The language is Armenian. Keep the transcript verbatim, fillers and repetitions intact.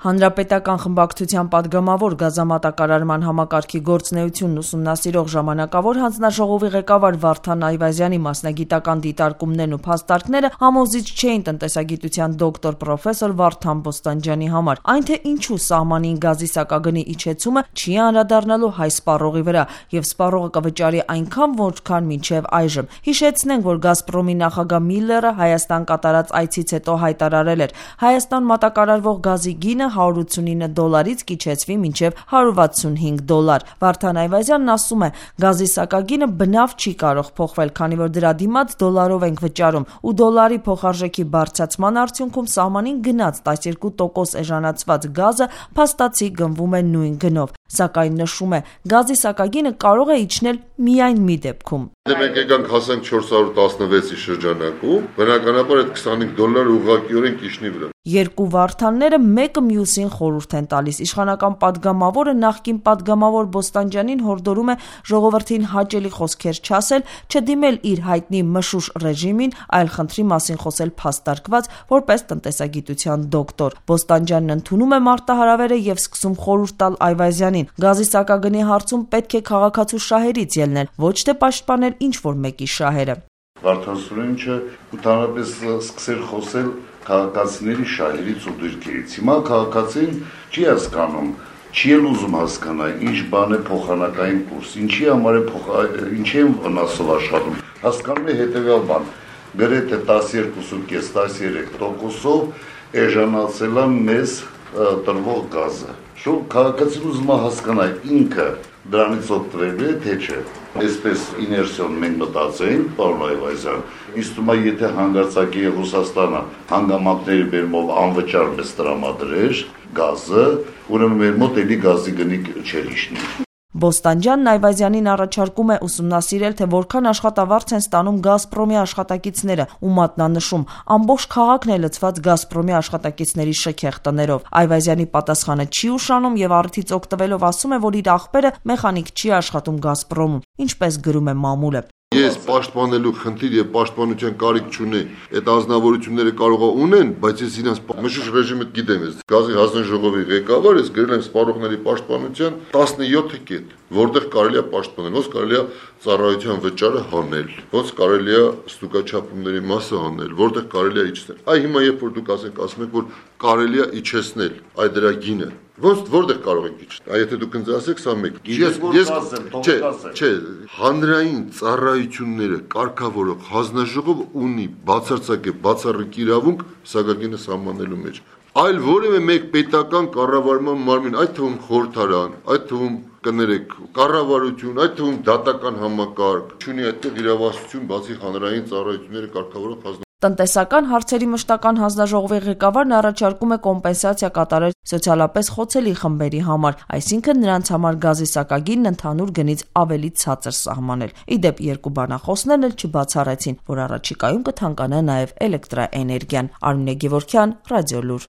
Հանրապետական խմբակցության պատգամավոր գազամատակարարման համակարգի գործունեությունն ուսումնասիրող ժամանակավոր հանձնաժողովի ղեկավար Վարդան Այվազյանի մասնագիտական դիտարկումներն ու փաստարկները համոզիչ չէին տնտեսագիտության դոկտոր պրոֆեսոր Վարդան Բոստանջյանի համար, այն թե ինչու սահմանին գազի սակագնի իջեցումը չի անդրադառնալու հայ սպառողի վրա, եւ սպառողը կվճարի այնքան, որքան մինչեւ այժմ։ Հիշեցնենք, որ Գազպրոմի նախագահ Միլլերը Հայաստան կատարած այցից հետո հայտարարել էր, Հայաստան մատակարարվող գազի գինը հարյուր ութսունինը դոլարից կիջեցվի մինչև հարյուր վաթսունհինգ դոլար։ Վարդան Այվազյանն ասում է, գազի սակագինը բնավ չի կարող փոխվել, քանի որ դրա դիմաց դոլարով ենք վճարում, ու դոլարի փոխարժեքի բարձրացման արդյունքում սահմանին գնաց տասնյոթ տոկոս էժանացված գազը փաստացի գնվում է նույն գնով, սակայն նշում է, գազի սակագինը կարող է իջնել միայն մի դեպքում։ Դե մենք եկանք հասանք չորս հարյուր տասնվեցի շրջանակում, բնականաբար այդ քսանհինգ դոլարը ուղղակիորեն կիջնի վրա։ Երկու Վարդանները մեկը մյուսին խորհուրդ են տալիս։ Իշխանական պատգամավորը նախկին պատգամավոր Բոստանջյանին հորդորում է ժողովրդին հաճելի խոսքեր չասել, չդիմել իր հայտնի մշուշ ռեժիմին, այլ խնդրի մասին խոսել փաստարկված, որպես տնտեսագիտության դոկտոր։ Բոստանջյանն ընդունում է մարտահրավերը եւ սկսում խորհուրդ տալ Այվազյանին։ Գազի սակագնի հարցում պետք է քաղաքացու շահերից ելնել, ոչ թե պաշտպանել ինչ-որ մեկի շահերը։ Վարդան Սուրենիչը ընդհանրապես սկսել խոսել քաղաքացիների շահերից ու դիրքերից։ Հիմա քաղաքացին չի հասկանում, չի էլ ուզում հասկանալ, ինչ բան է փոխանակային կուրս, ինչի համար է փոխ, ինչի են վնասով աշխատում։ Հասկանում է հետևյալ բան, գրեթե տասնյոթ կես տասնյոթ տոկոսով էժանացել է մեզ տրվող գազը։ Շո քաղաքացին ուզում է հասկանալ ինքը դրանից օգտվելու է, թե չէ։ Այսպես իներցիոն մենք մտածեին, պարոն Այվազյան, իսկ թվում է, եթե հանգարցակի Ռուսաստանը հանգամանքների բերումով անվճար մեզ տրամադրեր գազը, ուրեմն մեր մոտ էլի գազի գնի չէր իջնի։ Բոստանջյանն Այվազյանին առաջարկում է ուսումնասիրել, թե որքան աշխատավարձ են ստանում Գազպրոմի աշխատակիցները, ու մատնանշում, ամբողջ քաղաքն է լցված Գազպրոմի աշխատակիցների շքեղ տներով։ Այվազյանի պատասխանը չի ուշանում եւ առիթից օգտվելով ասում է, որ իր աղբերը մեխանիկ չի աշխատում Գազպրոմում, ինչպես գրում է մամուլը։ Ես պաշտպանելու խնդիր եւ պաշտպանության կարիք չունեի։ Այդ ազնվորությունները կարող է ունեն, բայց ես իրենց մշուշ ռեժիմը գիտեմ, ես գազի հանձնաժողովի ղեկավար, ես գրել եմ սպառողների պաշտպանության տասնյոթ կետ, որտեղ կարելի է պաշտպանել, ոնց կարելի է ծառայության վճարը հանել, ոնց կարելի է ստուգաչափումների մասը հանել, որտեղ կարելի է իջեցնել։ Այ հիմա երբ որ դուք ասեք, ասում եք, որ կարելի է իջեցնել այդ դրա գինը, ոնց որտեղ կարող ենք իջնել։ Այ եթե դուք ինձ ասեք, սա մեկ։ Ես ես չէ, չէ, հանրային ծառայությունները կարգավորող հանձնաժողովը ունի բացարձակ է բացառիկ իրավունք սակագինը սահմանելու մեջ։ Այլ որևէ մեկ պետական կառավարման մարմին, այդ թվում խորհրդարան, այդ թվում կներեք կառավարություն, այդ թվում դատական համակարգ, չունի այդտեղ իրավասություն բացի հանրային ծառայությունները կարգավորող հանձնաժողովը։ Տնտեսական հարցերի մշտական հանձնաժողովի ղեկավարն առաջարկում է կոմպենսացիա կատարել սոցիալապես խոցելի խմբերի համար, այսինքն նրանց համար գազի սակագինն ընդհանուր գնից ավելի ցածր սահմանել։ Ի դեպ, երկու բանախոսներն էլ չբացառեցին, որ առաջիկայում կթանկանա նաև էլեկտրաէներգիան։ Արմինե Գևորգյան, Ռադիոլուր։